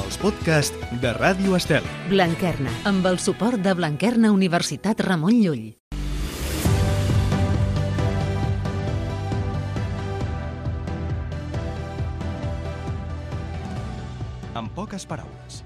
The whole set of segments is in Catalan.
els podcasts de Ràdio Estel. Blanquerna, amb el suport de Blanquerna Universitat Ramon Llull. En poques paraules.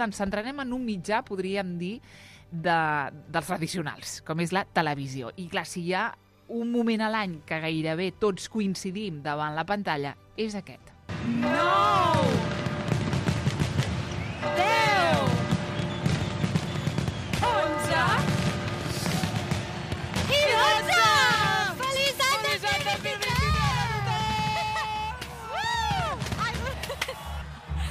Ens centrarem en un mitjà, podríem dir, dels tradicionals, com és la televisió. I clar, si hi ha un moment a l'any que gairebé tots coincidim davant la pantalla, és aquest. 9, 10, 11 i 12! Feliç any 2023!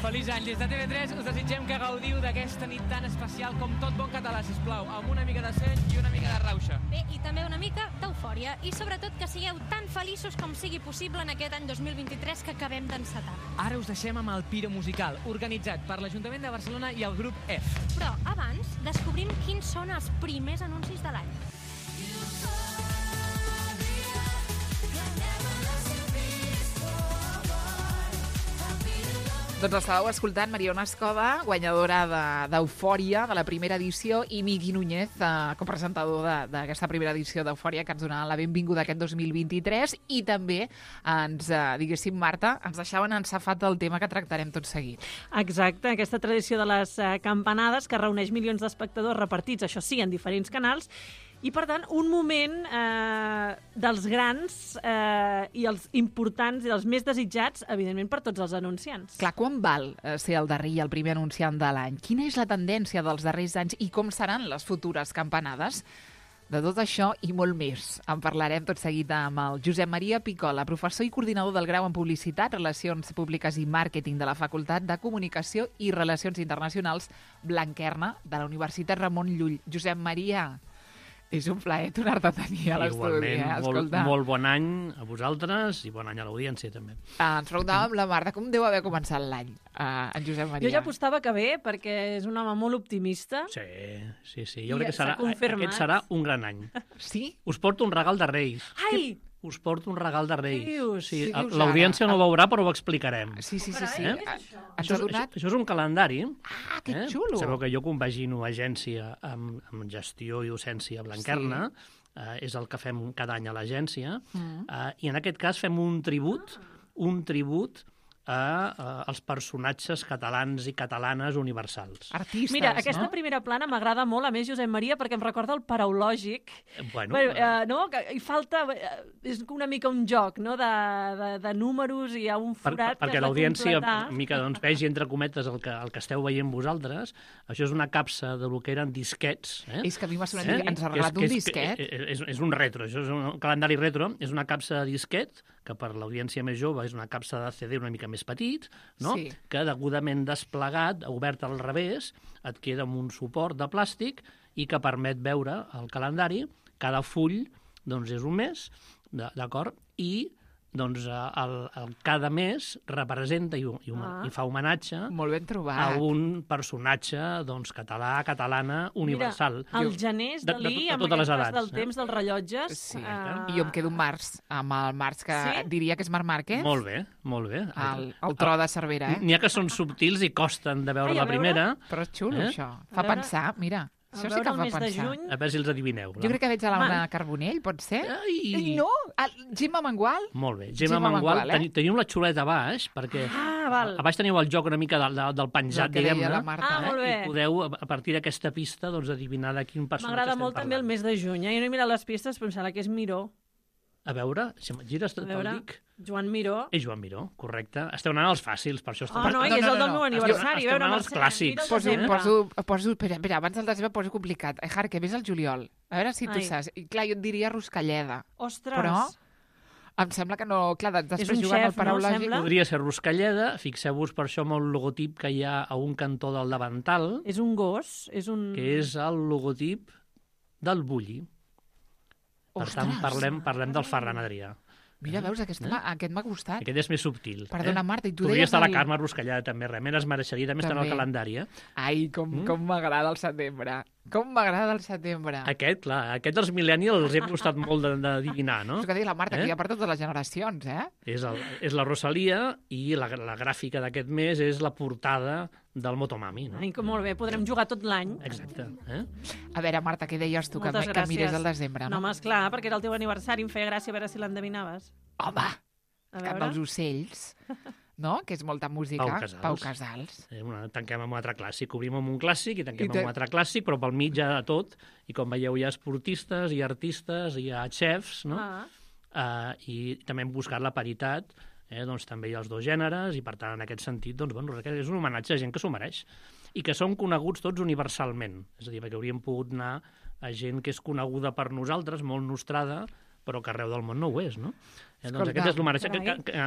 Feliç any. Des de TV3 us desitgem que gaudiu d'aquesta nit tan especial com tot bon català, sisplau, amb una mica de seny i una mica de rauxa. Bé, i també una mica d'eufòria, i sobretot que sigueu tan feliços com sigui possible en aquest any 2023 que acabem d'encetar. Ara us deixem amb el Piro Musical, organitzat per l'Ajuntament de Barcelona i el grup F. Però abans descobrim quins són els primers anuncis de l'any. Doncs estàveu escoltant Mariona Escoda, guanyadora d'Eufòria, de la primera edició, i Miqui Núñez, copresentador d'aquesta primera edició d'Eufòria, que ens donava la benvinguda aquest 2023, i també ens, diguéssim, Marta, ens deixaven ensafat el tema que tractarem tot seguit. Exacte, aquesta tradició de les campanades que reuneix milions d'espectadors repartits, això sí, en diferents canals, i, per tant, un moment dels grans i els importants i els més desitjats, evidentment, per tots els anunciants. Clar, quan val ser el darrer i el primer anunciant de l'any? Quina és la tendència dels darrers anys i com seran les futures campanades? De tot això i molt més en parlarem tot seguit amb el Josep Maria Picola, professor i coordinador del grau en Publicitat, Relacions Públiques i Màrqueting de la Facultat de Comunicació i Relacions Internacionals Blanquerna de la Universitat Ramon Llull. Josep Maria, és un plaer tornar-te a tenir a l'estudi. Igualment, molt bon any a vosaltres i bon any a l'audiència, també. Ens preguntàvem amb la Marta com deu haver començat l'any, en Josep Maria. Jo ja apostava que bé, perquè és un home molt optimista. Sí. Jo crec que aquest serà un gran any. Sí? Us porto un regal de Reis. Ai! Us porto un regal de Reis. Dius? Sí, Què dius l'audiència no ho veurà, però ho explicarem. Sí. Eh? Ens ha donat... Això és un calendari. Ah, que xulo! Sabeu que jo compagino agència amb gestió i docència a Blanquerna. És el que fem cada any a l'agència. I en aquest cas fem un tribut als personatges catalans i catalanes universals. Artistes, Mira, aquesta no? primera plana m'agrada molt, a més, Josep Maria, perquè em recorda el paraulògic. Bueno, no? Hi falta... És una mica un joc, no?, de números, i hi ha un forat perquè l'audiència mica doncs, vegi entre cometes el que esteu veient vosaltres. Això és una capsa de lo que eren disquets. És que a mi m'ha sonat que ens ha regalat un disquet. És un retro, això és un calendari retro. És una capsa de disquet, que per l'audiència més jove és una capsa de CD una mica més petit, no? Sí. Que degudament desplegat, obert al revés, et queda amb un suport de plàstic i que permet veure el calendari. Cada full doncs, és un mes, d'acord? I doncs, cada mes representa i fa homenatge Molt ben trobat. a un personatge doncs, català, catalana, universal. Mira, el Gené és Dalí, amb totes les aquest pas edats, del temps dels rellotges. Sí. I jo em quedo amb Març, amb el Març, que diria que és Marc Márquez. Molt bé, molt bé. El tro de Cervera, N'hi ha que són subtils i costen de veure la primera. Però és xulo, això. Fa pensar, mira. Això sí que fa pensar. A veure si els adivineu. Jo crec que veig a Laura Carbonell, pot ser? No? Gemma Mengual? Molt bé. Gemma Mengual. Teniu la xuleta a baix, perquè val. a baix teniu el joc una mica del penjat, diguem-ne. Molt bé. I podeu, a partir d'aquesta pista, doncs, adivinar de quin personatge estem parlant. M'agrada molt també el mes de juny. Jo no he mirat les pistes, però em sembla que és Miró. A veure, si em gires te'l dic. Joan Miró. És Joan Miró, correcte. Esteu anant als fàcils, per això... No, és el del meu aniversari. Esteu anant als clàssics. Espera, abans del desembre poso complicat. Jarque, ves al juliol. A veure si tu saps. I clar, jo et diria Ruscalleda. Ostres! Però em sembla que no... Clar, després un jugant xef, al paraulògic... no? Podria ser Ruscalleda. Fixeu-vos per això amb el logotip que hi ha a un cantó del davantal. És un gos, és un... Que és el logotip del Bulli. Per tant, parlem del Ferran Adrià. Mira, veus, aquest m'ha gustat. Aquest és més subtil. Perdona, Marta, i tu podria deies... estar la Carme Ruscallada, també, realment es mereixeria també estar en el calendari. Ai, com m'agrada el setembre. Com m'agrada el setembre. Aquest, clar, aquest dels millennials els he costat molt d'adivinar, no? És que deia la Marta, que hi ha per totes les generacions, És la Rosalia i la gràfica d'aquest mes és la portada del Motomami, no? Ai, que molt bé, podrem jugar tot l'any. Exacte. A veure, Marta, què deies tu, que mires el desembre, no? No, home, esclar, perquè era el teu aniversari, em feia gràcia a veure si l'endevinaves. Home, cap dels ocells, no? Que és molta música. Pau Casals. Tanquem amb un altre clàssic, obrim amb un clàssic i tanquem amb un altre clàssic, però pel mig hi ha tot, i com veieu hi ha esportistes, hi ha artistes, hi ha xefs, no? I també hem buscat la paritat, doncs també hi ha els dos gèneres, i per tant, en aquest sentit, doncs, bueno, és un homenatge a gent que s'ho mereix, i que són coneguts tots universalment. És a dir, perquè hauríem pogut anar a gent que és coneguda per nosaltres, molt nostrada, però que arreu del món no ho és, no? Doncs aquest és l'homenatge.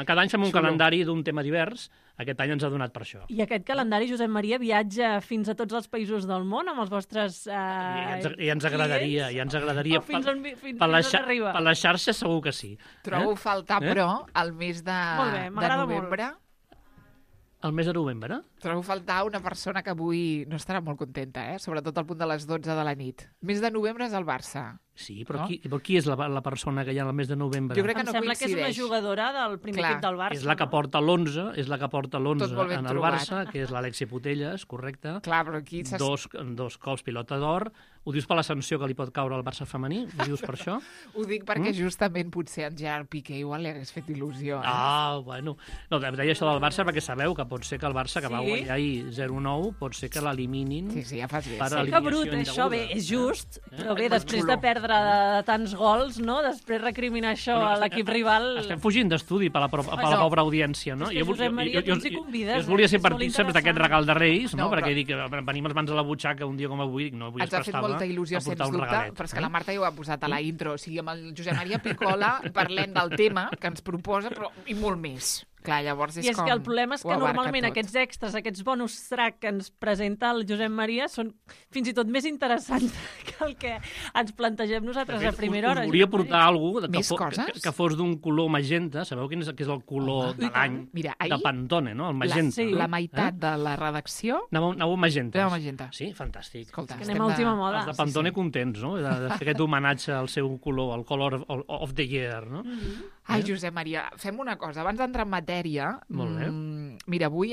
Cada any fem un calendari d'un tema divers, aquest any ens ha donat per això. I aquest calendari, Josep Maria, viatja fins a tots els països del món amb els vostres I ens agradaria, fins on arriba? Per les xarxes segur que sí. Trobo faltar, però, el mes de novembre... El mes de novembre? Trobo faltar una persona que avui no estarà molt contenta, sobretot al punt de les 12 de la nit. Mes de novembre és el Barça. Sí, però qui és la persona que hi ha al mes de novembre? Jo crec que no coincideix. Em sembla que és una jugadora del primer equip del Barça. És la que porta l'11, en el Barça, que és l'Alexia Putellas, correcte. Clar, però aquí... Dos cops pilota d'or. Ho dius per la sanció que li pot caure al Barça femení? Ho dius per això? Ho dic perquè justament potser en Gerard Piqué igual li hagués fet il·lusió. Bueno. No, deia això del Barça perquè sabeu que pot ser que el Barça, que va guanyar ahir 0-9, pot ser que l'eliminin. Sí, ja fas bé. Que brut, això bé, és just, però bé, després de perdre de tants gols, no? Després recriminar això a l'equip rival... Estem fugint d'estudi per la pobra audiència, no? És que Josep Maria, tu ens hi convides. Jo volia ser partícips d'aquest regal de Reis, no? Perquè dic, venim les mans a la butxaca un dia com avui, no vull estar-estava. Ens ha fet molta il·lusió, sens dubte, però és que la Marta ja ho ha posat a la intro. O sigui, amb el Josep Maria Picola parlem del tema que ens proposa, però i molt més. Clar, llavors és com... I és que el problema és que normalment aquests extras, aquests bonus track que ens presenta el Josep Maria són fins i tot més interessants que el que ens plantegem nosaltres a primera hora. Us volia portar alguna cosa que fos d'un color magenta. Sabeu quin és el color de l'any de Pantone, no? El magenta. La meitat de la redacció... Anava magenta. Anava magenta. Sí, fantàstic. Escolta, anem a última moda. Els de Pantone contents, no? De fer aquest homenatge al seu color, al color of the year, no? Ai, Josep Maria, fem una cosa. Abans d'entrar en matèria, mira, avui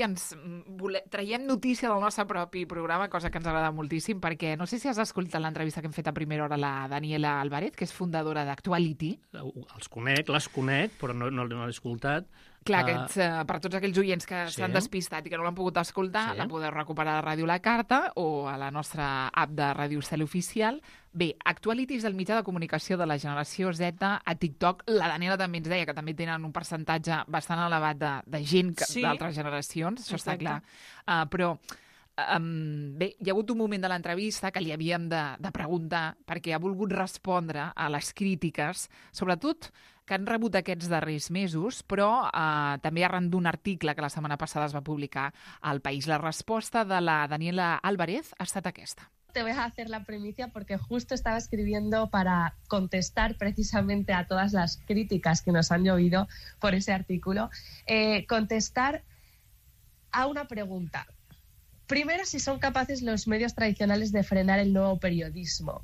traiem notícia del nostre propi programa, cosa que ens agrada moltíssim, perquè no sé si has escoltat l'entrevista que hem fet a primera hora a la Daniela Álvarez, que és fundadora d'Actuality. Les conec, però no l'he escoltat. Clar, per tots aquells oients que s'han despistat i que no l'han pogut escoltar, la podeu recuperar a Ràdio La Carta o a la nostra app de Ràdio Estel Oficial. Bé, Actuality és el mitjà de comunicació de la generació Z a TikTok. La Daniela també ens deia que també tenen un percentatge bastant elevat de gent d'altres generacions, això està clar. Però bé, hi ha hagut un moment de l'entrevista que li havíem de preguntar perquè ha volgut respondre a les crítiques, sobretot que han rebut aquests darrers mesos, però també arran d'un article que la setmana passada es va publicar al País. La resposta de la Daniela Álvarez ha estat aquesta. Te voy a hacer la primicia porque justo estaba escribiendo para contestar precisamente a todas las críticas que nos han llovido por ese artículo. Contestar a una pregunta. Primero, si son capaces los medios tradicionales de frenar el nuevo periodismo.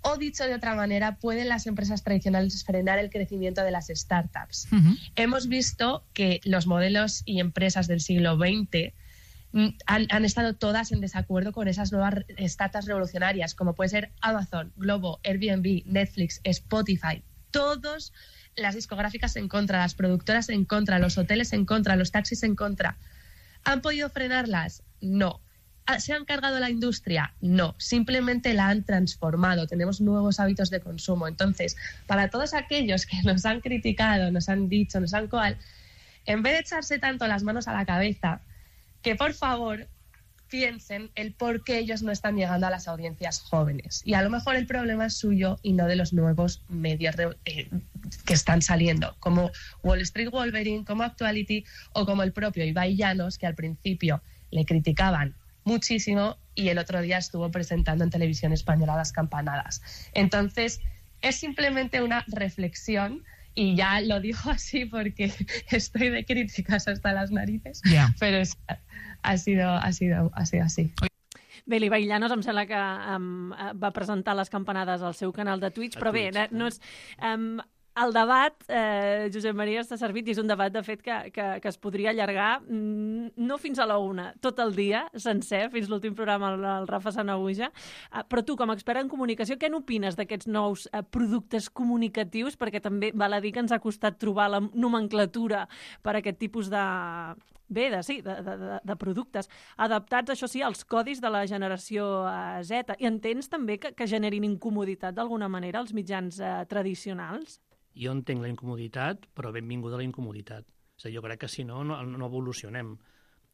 O dicho de otra manera, ¿pueden las empresas tradicionales frenar el crecimiento de las startups? Hemos visto que los modelos y empresas del siglo XX han estado todas en desacuerdo con esas nuevas startups revolucionarias, como puede ser Amazon, Globo, Airbnb, Netflix, Spotify. Todas las discográficas en contra, las productoras en contra, los hoteles en contra, los taxis en contra. ¿Han podido frenarlas? No. ¿Se han cargado la industria? No, simplemente la han transformado. Tenemos nuevos hábitos de consumo. Entonces, para todos aquellos que nos han criticado, nos han dicho, nos han en vez de echarse tanto las manos a la cabeza, que por favor piensen el por qué ellos no están llegando a las audiencias jóvenes. Y a lo mejor el problema es suyo y no de los nuevos medios que están saliendo, como Wall Street Wolverine, como Actuality o como el propio Ibai Llanos, que al principio le criticaban muchísimo y el otro día estuvo presentando en Televisión Española Las Campanadas. Entonces, es simplemente una reflexión y ya lo digo así porque estoy de críticas hasta las narices, pero ha sido así. Bé, l'Ibai Llanos em sembla que va presentar les campanades al seu canal de Twitch, però bé, no és... El debat, Josep Maria, està servit i és un debat, de fet, que es podria allargar no fins a la 1, tot el dia, sencer, fins l'últim programa el Rafa Sanahuja. Però tu, com a expert en comunicació, què n'opines d'aquests nous productes comunicatius? Perquè també val a dir que ens ha costat trobar la nomenclatura per a aquest tipus de productes, adaptats, això sí, als codis de la generació Z. I entens també que generin incomoditat d'alguna manera als mitjans tradicionals? Jo entenc la incomoditat, però benvinguda la incomoditat. És a dir, jo crec que si no, no evolucionem.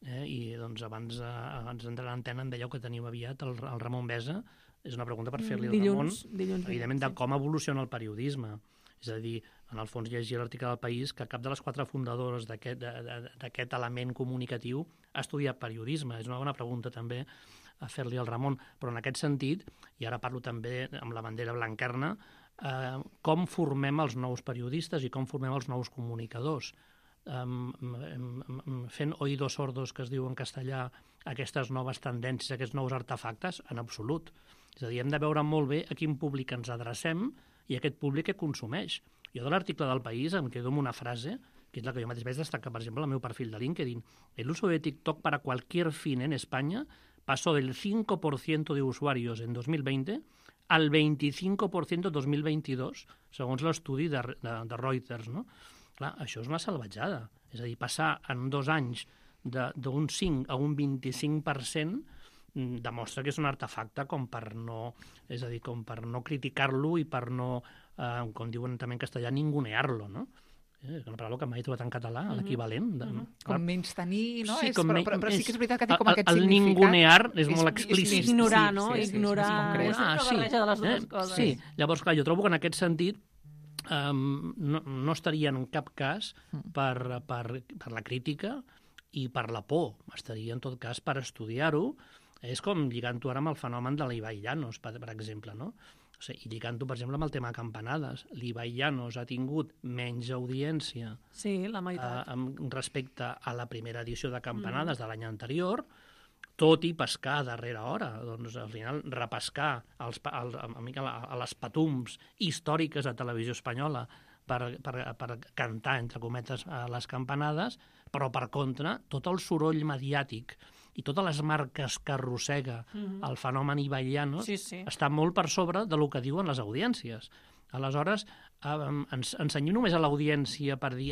I doncs abans d'entrar a l'antena em dèieu que tenim aviat el Ramon Besa. És una pregunta per fer-li al Ramon, evidentment, de com evoluciona el periodisme. És a dir, en el fons llegia l'article del País que cap de les 4 fundadores d'aquest element comunicatiu ha estudiat periodisme. És una bona pregunta també a fer-li al Ramon. Però en aquest sentit, i ara parlo també amb la bandera blanquerna, com formem els nous periodistes i com formem els nous comunicadors. Fent oídos sordos, que es diu en castellà, aquestes noves tendències, aquests nous artefactes, en absolut. És a dir, hem de veure molt bé a quin públic ens adrecem i aquest públic que consumeix. Jo de l'article del País em quedo amb una frase, que és la que jo mateix vaig destacar, per exemple, al meu perfil de LinkedIn. El uso de TikTok para cualquier fin en España pasó del 5% de usuarios en 2020 al 25% 2022, segons l'estudi de Reuters, no? Clar, això és una salvatjada. És a dir, passar en 2 anys d'un 5 a un 25% demostra que és un artefacte com per no criticar-lo i per no, com diuen també en castellà, ningunear-lo, no? És una paraula que mai he trobat en català, l'equivalent. Com menys tenir, no? Sí, però sí que és veritat que té com aquest significat. El ningunear és molt explícit. Ignorar, no? Ignorar. És una barreja de les dues coses. Sí, llavors, clar, jo trobo que en aquest sentit no estaria en cap cas per la crítica i per la por. Estaria, en tot cas, per estudiar-ho. És com lligant-ho ara amb el fenomen de l'Ibai Llanos, per exemple, no? O sigui, i lligant-ho, per exemple, amb el tema de campanades. L'Ibai Llanos ha tingut menys audiència la meitat. Respecte a la primera edició de campanades de l'any anterior, tot i pescar a darrera hora. Doncs, al final, repescar a les patums històriques de Televisió Espanyola per cantar, entre cometes, les campanades, però, per contra, tot el soroll mediàtic i totes les marques que arrossega el fenomen Ibai Llanos està molt per sobre del que diuen les audiències. Aleshores, ens cenyim només a l'audiència per dir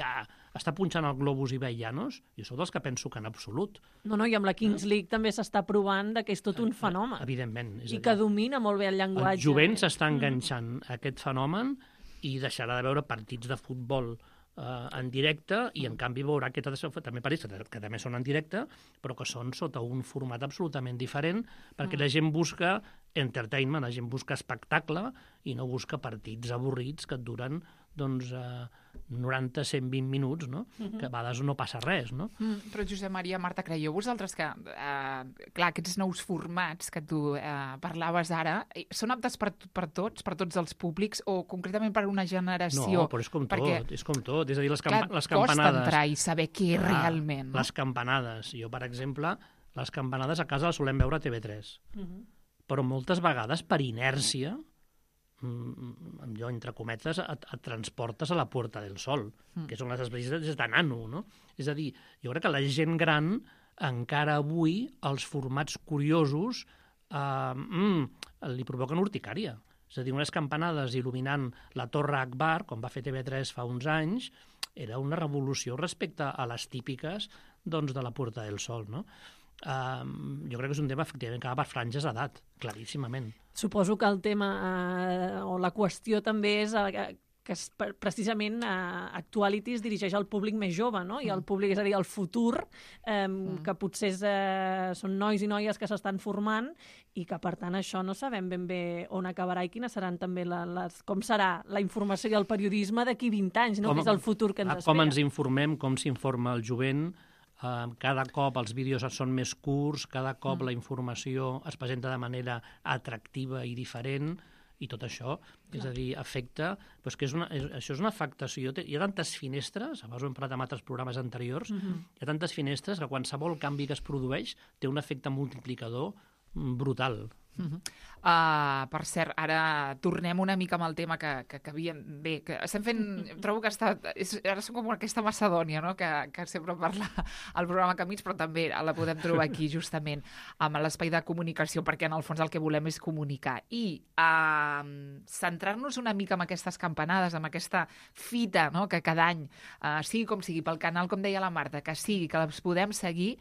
està punxant el globus Ibai Llanos? Jo sóc dels que penso que en absolut. No, i amb la Kings League també s'està provant que és tot un fenomen. Evidentment. I que domina molt bé el llenguatge. El jovent s'està enganxant a aquest fenomen i deixarà de veure partits de futbol en directe i en canvi veurà que també partits que també són en directe però que són sota un format absolutament diferent perquè la gent busca entertainment, la gent busca espectacle i no busca partits avorrits que et duren 90-120 minuts, no? Que a vegades no passa res, no? Però Josep Maria, Marta, creieu vosaltres que clar, aquests nous formats que tu parlaves ara són aptes per tots els públics o concretament per una generació? No, però és com tot. És a dir, les campanades... Costa entrar i saber què realment. Les campanades. Jo, per exemple, les campanades a casa les solem veure a TV3. Però moltes vegades, per inèrcia, jo, entre cometes, et transportes a la Puerta del Sol, que són les experiències de nano, no? És a dir, jo crec que la gent gran, encara avui, els formats curiosos li provoquen urticària. És a dir, unes campanades il·luminant la Torre Akbar, com va fer TV3 fa uns anys, era una revolució respecte a les típiques de la Puerta del Sol, no? Jo crec que és un tema efectivament que va per franges d'edat, claríssimament. Suposo que el tema o la qüestió també és que precisament Actuality es dirigeix al públic més jove, no? I el públic, és a dir, el futur, que potser són nois i noies que s'estan formant i que, per tant, això no sabem ben bé on acabarà i quines seran també com serà la informació i el periodisme d'aquí 20 anys, no? Que és el futur que ens espera. Com ens informem, com s'informa el jovent. Cada cop els vídeos són més curts, cada cop la informació es presenta de manera atractiva i diferent I tot això, és a dir, afecta... Doncs que això és una afectació. Hi ha tantes finestres, abans ho hem parlat en altres programes anteriors, hi ha tantes finestres que qualsevol canvi que es produeix té un efecte multiplicador brutal. Per cert, ara tornem una mica amb el tema que havíem... Bé, que estem fent... Trobo que ara som com aquesta Macedònia, no?, que sempre parla al programa Camins, però també la podem trobar aquí, justament, amb l'espai de comunicació, perquè en el fons el que volem és comunicar. I centrar-nos una mica en aquestes campanades, en aquesta fita, no?, que cada any, sigui com sigui, pel canal, com deia la Marta, que sigui, que les podem seguir...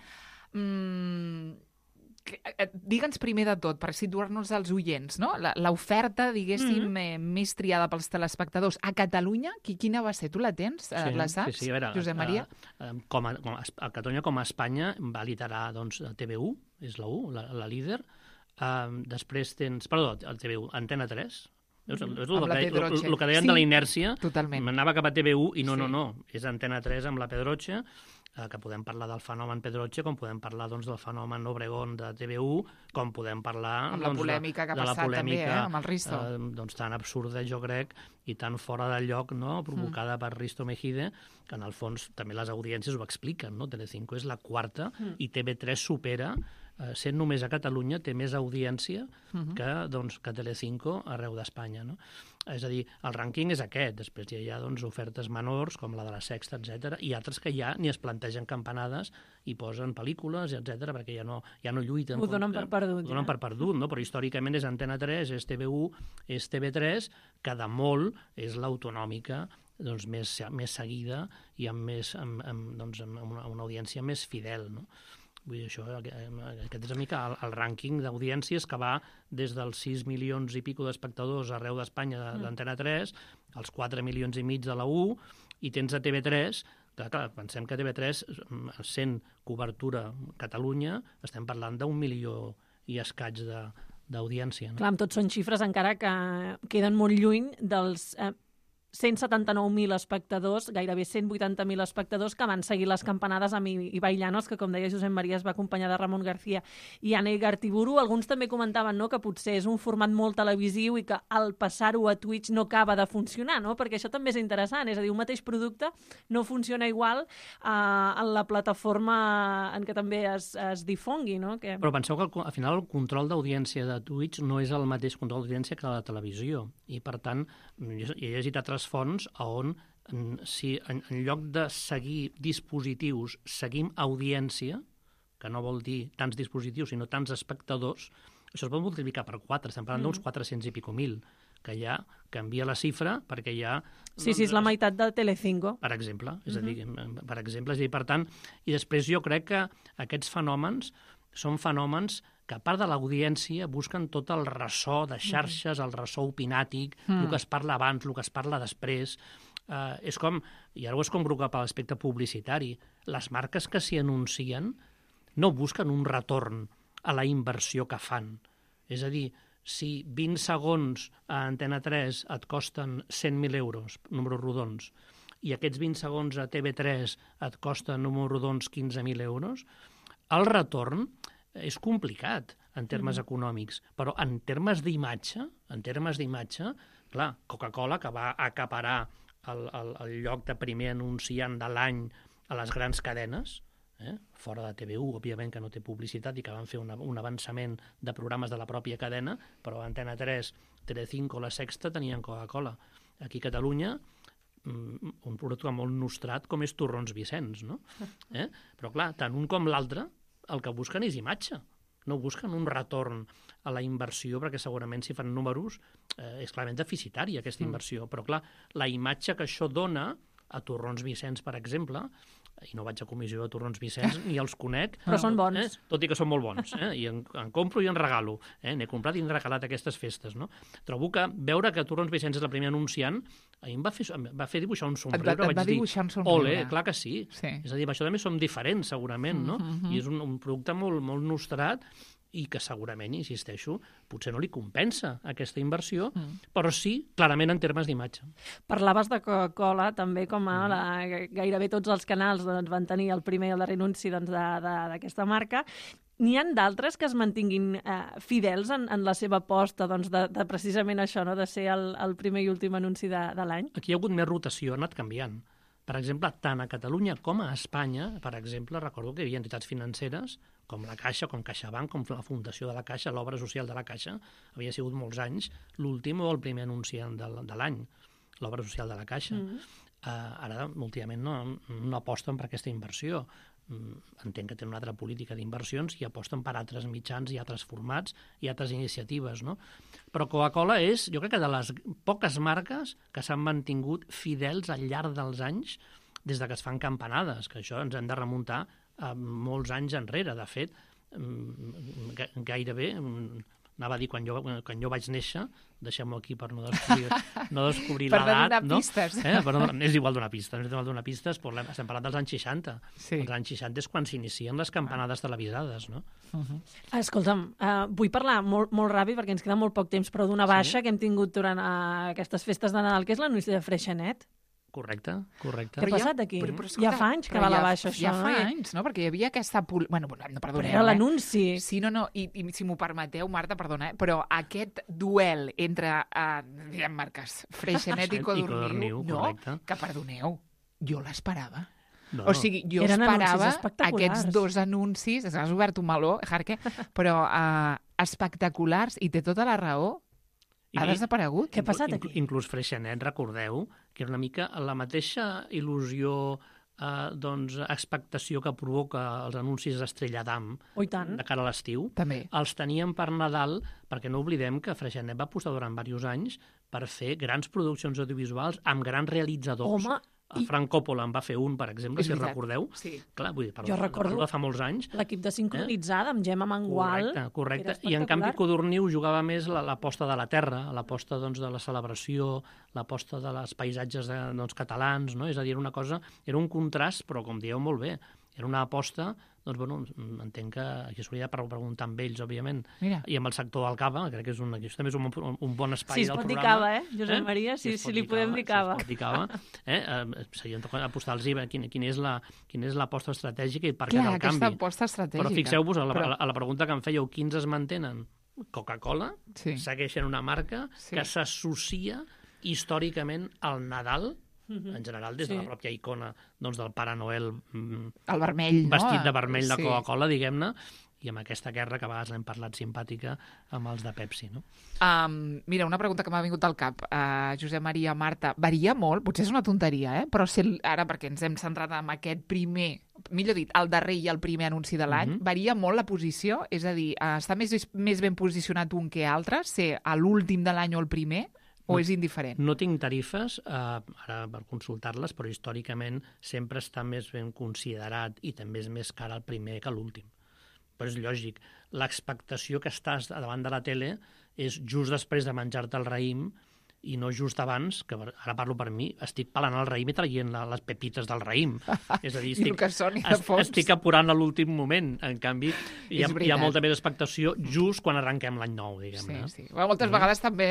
Digue'ns primer de tot, per situar-nos als oients, no? L'oferta, diguéssim, més triada pels telespectadors. A Catalunya, quina va ser? Tu la tens? La saps, sí, a veure, Josep Maria? A Catalunya com a Espanya va liderar doncs, TV1, és la 1, la líder. Després tens... Perdó, el TV1, Antena 3. És el que deien de la inèrcia. Totalment. Anava cap a TV1 i no. És Antena 3 amb la Pedroche, que podem parlar del fenomen Pedroche, com podem parlar doncs, del fenomen Obregón de TV1, com podem parlar amb la polèmica que ha passat també, amb el Risto. Doncs tan absurda, jo crec, i tan fora de lloc, no?, provocada per Risto Mejide, que en el fons també les audiències ho expliquen, no? Telecinco és la quarta i TV3 supera, sent només a Catalunya, té més audiència que Telecinco arreu d'Espanya, no? És a dir, el rànquing és aquest. Després hi ha doncs, ofertes menors, com la de la Sexta, etc. I altres que ja ni es plantegen campanades i posen pel·lícules, etc. perquè ja no lluiten. Ho donen per perdut. Ho donen per perdut, no? Però històricament és Antena 3, és TV1, és TV3, que de molt és l'autonòmica doncs, més seguida i amb una audiència més fidel, no? Vull dir, això, aquest és una mica el rànquing d'audiències que va des dels 6 milions i pico d'espectadors arreu d'Espanya d'Antena 3, als 4 milions i mig de la 1, i tens a TV3, que clar, pensem que TV3, sent cobertura Catalunya, estem parlant d'1 milió i escaig d'audiència. No? Clar, amb tot són xifres encara que queden molt lluny dels... 179.000 espectadors, gairebé 180.000 espectadors que van seguir les campanades amb Ibai Llanos, que com deia Josep Maria es va acompanyar de Ramon García i Anna Igartiburu. Alguns també comentaven, no?, que potser és un format molt televisiu i que al passar-ho a Twitch no acaba de funcionar, no?, perquè això també és interessant, és a dir, un mateix producte no funciona igual en la plataforma en què també es difongui, no? Però penseu que al final el control d'audiència de Twitch no és el mateix control d'audiència que la televisió, i per tant jo he llegit altres fonts on si en lloc de seguir dispositius seguim audiència, que no vol dir tants dispositius sinó tants espectadors, això es pot multiplicar per 4, estem parlant d'uns 400 i pico mil, que ja canvia la xifra perquè ja... Sí, és la meitat de Telecinco. Per exemple, és a dir, per tant, i després jo crec que aquests fenòmens són fenòmens que a part de l'audiència busquen tot el ressò de xarxes, el ressò opinàtic, el que es parla abans, el que es parla després. És com, i ara ho és com cap a l'aspecte publicitari, les marques que s'hi anuncien no busquen un retorn a la inversió que fan. És a dir, si 20 segons a Antena 3 et costen 100.000 euros, números rodons, i aquests 20 segons a TV3 et costen, números rodons, 15.000 euros, el retorn és complicat en termes econòmics, però en termes d'imatge, clar, Coca-Cola, que va acaparar el lloc de primer anunciant de l'any a les grans cadenes, fora de TV1, òbviament que no té publicitat i que van fer un avançament de programes de la pròpia cadena, però Antena 3, Telecinco, La Sexta tenien Coca-Cola. Aquí a Catalunya, un producte molt nostrat com és Torrons Vicenç, no? Però clar, tant un com l'altre el que busquen és imatge, no busquen un retorn a la inversió, perquè segurament si fan números és clarament deficitària aquesta inversió, però clar, la imatge que això dona a Torrons Vicenç, per exemple, i no vaig a comissió de Torrons Vicenç, ni els conec. Però són bons. Tot i que són molt bons. I en compro i en regalo. N'he comprat i en regalat aquestes festes. No? Trobo que veure que Torrons Vicenç és el primer anunciant, a mi em va fer dibuixar un somriure. Et va dibuixar un somriure. Ole, clar que sí. És a dir, això també som diferents, segurament, no? I és un producte molt, molt nostrat i que segurament, insisteixo, potser no li compensa aquesta inversió, però sí, clarament, en termes d'imatge. Parlaves de Coca-Cola, també, com gairebé tots els canals van tenir el primer i el darrer anunci d'aquesta marca, n'hi ha d'altres que es mantinguin fidels en la seva aposta de precisament això, no? De ser el primer i últim anunci de l'any? Aquí hi ha hagut més rotació, ha anat canviant. Per exemple, tant a Catalunya com a Espanya, per exemple, recordo que hi havia entitats financeres, com la Caixa, com CaixaBank, com la Fundació de la Caixa, l'obra social de la Caixa, havia sigut molts anys l'últim o el primer anunciant de l'any, l'obra social de la Caixa. Ara, últimament, no aposten per aquesta inversió. Entenc que tenen una altra política d'inversions i aposten per altres mitjans i altres formats i altres iniciatives, no? Però Coca-Cola és, jo crec que de les poques marques que s'han mantingut fidels al llarg dels anys des que es fan campanades, que això ens hem de remuntar a molts anys enrere. De fet, gairebé, anava a dir quan jo vaig néixer, deixem-ho aquí per no descobrir l'edat. Per no donar pistes. És igual donar pistes, estem parlant dels anys 60. Sí. Els anys 60 és quan s'inicien les campanades televisades, no? Escolta'm, vull parlar molt ràpid perquè ens queda molt poc temps, però d'una baixa que hem tingut durant aquestes festes de Nadal, que és l'anunci de Freixenet. Correcte. Què ha passat aquí? Ja fa anys que va a la baixa, això. Ja fa anys, no? Perquè hi havia aquesta... Bueno, perdoneu. Però era l'anunci. Sí, no, i si m'ho permeteu, Marta, perdona, però aquest duel entre, diguem marques, Freixenet i Codorniu, no, que perdoneu, jo l'esperava. No. O sigui, jo esperava aquests dos anuncis, has obert un meló, Jarque, però espectaculars, i té tota la raó. Ha desaparegut. Què ha passat aquí? Inclús Freixenet, recordeu, que era una mica la mateixa il·lusió, expectació que provoca els anuncis d'Estrella d'Am de cara a l'estiu. També. Els teníem per Nadal, perquè no oblidem que Freixenet va apostar durant diversos anys per fer grans produccions audiovisuals amb grans realitzadors. Home, El Frank Coppola en va fer un, per exemple, si recordeu. Sí. Clar, vull dir, jo recordo fa molts anys. L'equip de Sincronitzada amb Gemma Mangual. Correcte. I en canvi Codorniu jugava més l'aposta de la terra, l'aposta de la celebració, l'aposta de les paisatges catalans, no? És a dir, era un contrast, però com dieu molt bé, era una aposta, doncs, bueno, entenc que aquí s'hauria de preguntar amb ells, òbviament, i amb el sector del cava, crec que això també és un bon espai del programa. Si es pot dir cava, Josep Maria? Si li podem dir cava. Si es pot dir cava. Seria apostar-los quina és l'aposta estratègica i per què del canvi. Clar, aquesta aposta estratègica. Però fixeu-vos, a la pregunta que em fèieu, quins es mantenen? Coca-Cola segueixen una marca que s'associa històricament al Nadal, en general, des de la pròpia icona del Pare Noel el vermell, vestit de vermell de Coca-Cola, diguem-ne, i amb aquesta guerra que a vegades hem parlat simpàtica amb els de Pepsi, no? Mira, una pregunta que m'ha vingut al cap, Josep Maria, Marta, varia molt, potser és una tonteria, però ara, perquè ens hem centrat en aquest primer, millor dit, el darrer i el primer anunci de l'any, varia molt la posició? És a dir, està més ben posicionat un que altre, ser a l'últim de l'any o el primer? O és indiferent? No tinc tarifes ara per consultar-les, però històricament sempre està més ben considerat i també és més car el primer que l'últim. Però és lògic. L'expectació que estàs davant de la tele és just després de menjar-te el raïm i no just abans, que ara parlo per mi, estic pelant el raïm i traient les pepites del raïm. És a dir, estic apurant a l'últim moment. En canvi, hi ha molta més expectació just quan arrenquem l'any nou, diguem-ne. Sí. Moltes vegades també,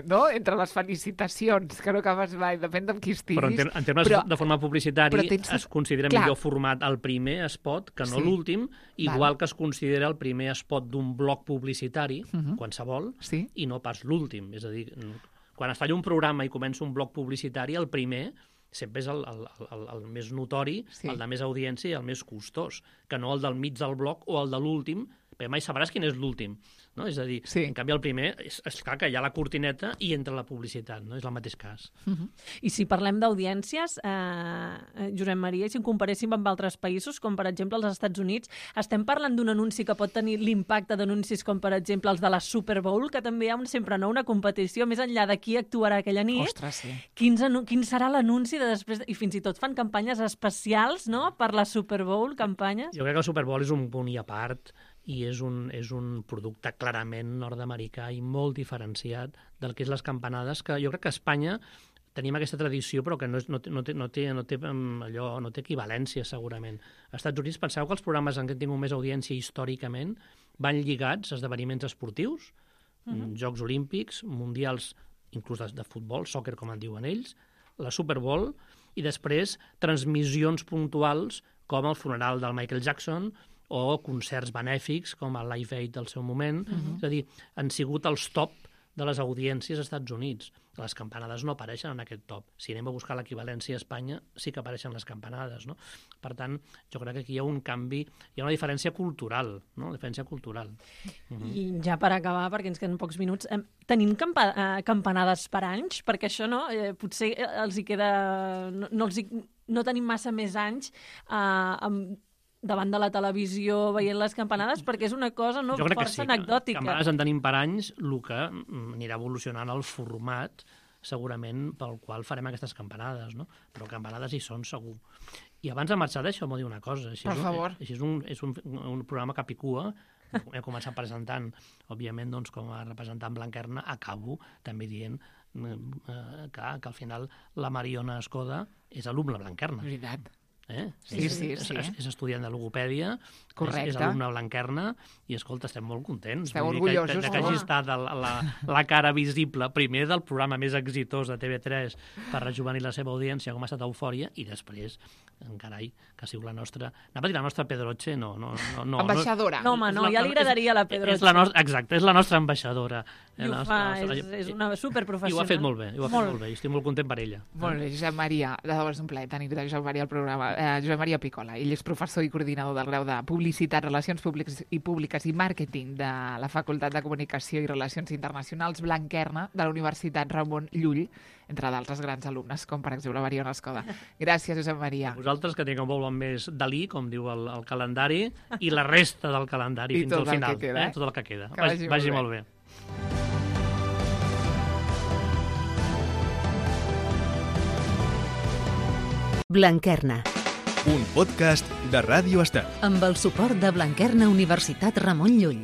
no?, entre les felicitacions, que no acabes mai, depèn de qui estiguis. Però en termes de forma publicitària es considera millor format el primer spot que no l'últim, igual que es considera el primer spot d'un bloc publicitari, qualsevol, i no pas l'últim. És a dir, quan es falla un programa i comença un bloc publicitari, el primer sempre és el més notori, el de més audiència i el més costós, que no el del mig del bloc o el de l'últim, perquè mai sabràs quin és l'últim. No? És a dir, en canvi el primer és clar que hi ha la cortineta i entra la publicitat, no? És el mateix cas. I si parlem d'audiències, Josep Maria, si en comparéssim amb altres països, com per exemple els Estats Units, estem parlant d'un anunci que pot tenir l'impacte d'anuncis com per exemple els de la Super Bowl, que també hi ha sempre una competició més enllà de qui actuarà aquella nit. Ostres, sí. Quin serà l'anunci de després? I fins i tot fan campanyes especials, no?, per la Super Bowl, campanyes. Jo crec que el Super Bowl és un punt i a part i és un producte clarament nord-americà i molt diferenciat del que és les campanades, que jo crec que a Espanya tenim aquesta tradició, però que no té equivalència, segurament. Als Estats Units, penseu que els programes en què han tingut més audiència històricament van lligats a esdeveniments esportius, Jocs Olímpics, mundials, inclús de futbol, soccer, com en diuen ells, la Super Bowl, i després transmissions puntuals com el funeral del Michael Jackson o concerts benèfics, com el Live Aid del seu moment. És a dir, han sigut els top de les audiències als Estats Units. Les campanades no apareixen en aquest top. Si anem a buscar l'equivalència a Espanya, sí que apareixen les campanades, no? Per tant, jo crec que aquí hi ha un canvi, hi ha una diferència cultural, no? Diferència cultural. I ja per acabar, perquè ens queden pocs minuts, tenim campanades per anys? Perquè això, no? Potser els hi queda... No tenim massa més anys davant de la televisió veient les campanades, perquè és una cosa força anecdòtica. Campanades en tenim per anys, el que anirà evolucionant el format, segurament, pel qual farem aquestes campanades, no? Però campanades hi són, segur. I abans de marxar, deixeu-me dir una cosa. Per favor. Així és un programa capicua. He començat presentant, òbviament, doncs, com a representant Blanquerna, acabo també dient que al final la Mariona Escoda és alumne Blanquerna. Veritat. Sí. És estudiant de logopèdia, és alumne Blanquerna, i, escolta, estem molt contents. Esteu orgullosos. Que hagi estat la cara visible, primer del programa més exitós de TV3 per rejuvenir la seva audiència, com ha estat Eufòria, i després, carai, que ha sigut la nostra... Anava a dir la nostra Pedroche, no. Ambaixadora. No, home, no, ja li agradaria la Pedroche. Exacte, és la nostra ambaixadora. I ho fa, és una superprofessional. I ho ha fet molt bé, i estic molt content per ella. Molt bé, Josep Maria, de debò és un plaer tenir Josep Maria al programa. Josep Maria Picola, ell és professor i coordinador del grau de Publicitat, Relacions Públiques i Màrqueting de la Facultat de Comunicació i Relacions Internacionals Blanquerna de la Universitat Ramon Llull, entre d'altres grans alumnes, com per exemple Mariona Escoda. Gràcies, Josep Maria. Vosaltres, que tingueu molt més Dalí, com diu el calendari, i la resta del calendari fins al final. Tot el que queda. Vagi molt bé. Blanquerna. Un podcast de Ràdio Estel. Amb el suport de Blanquerna Universitat Ramon Llull.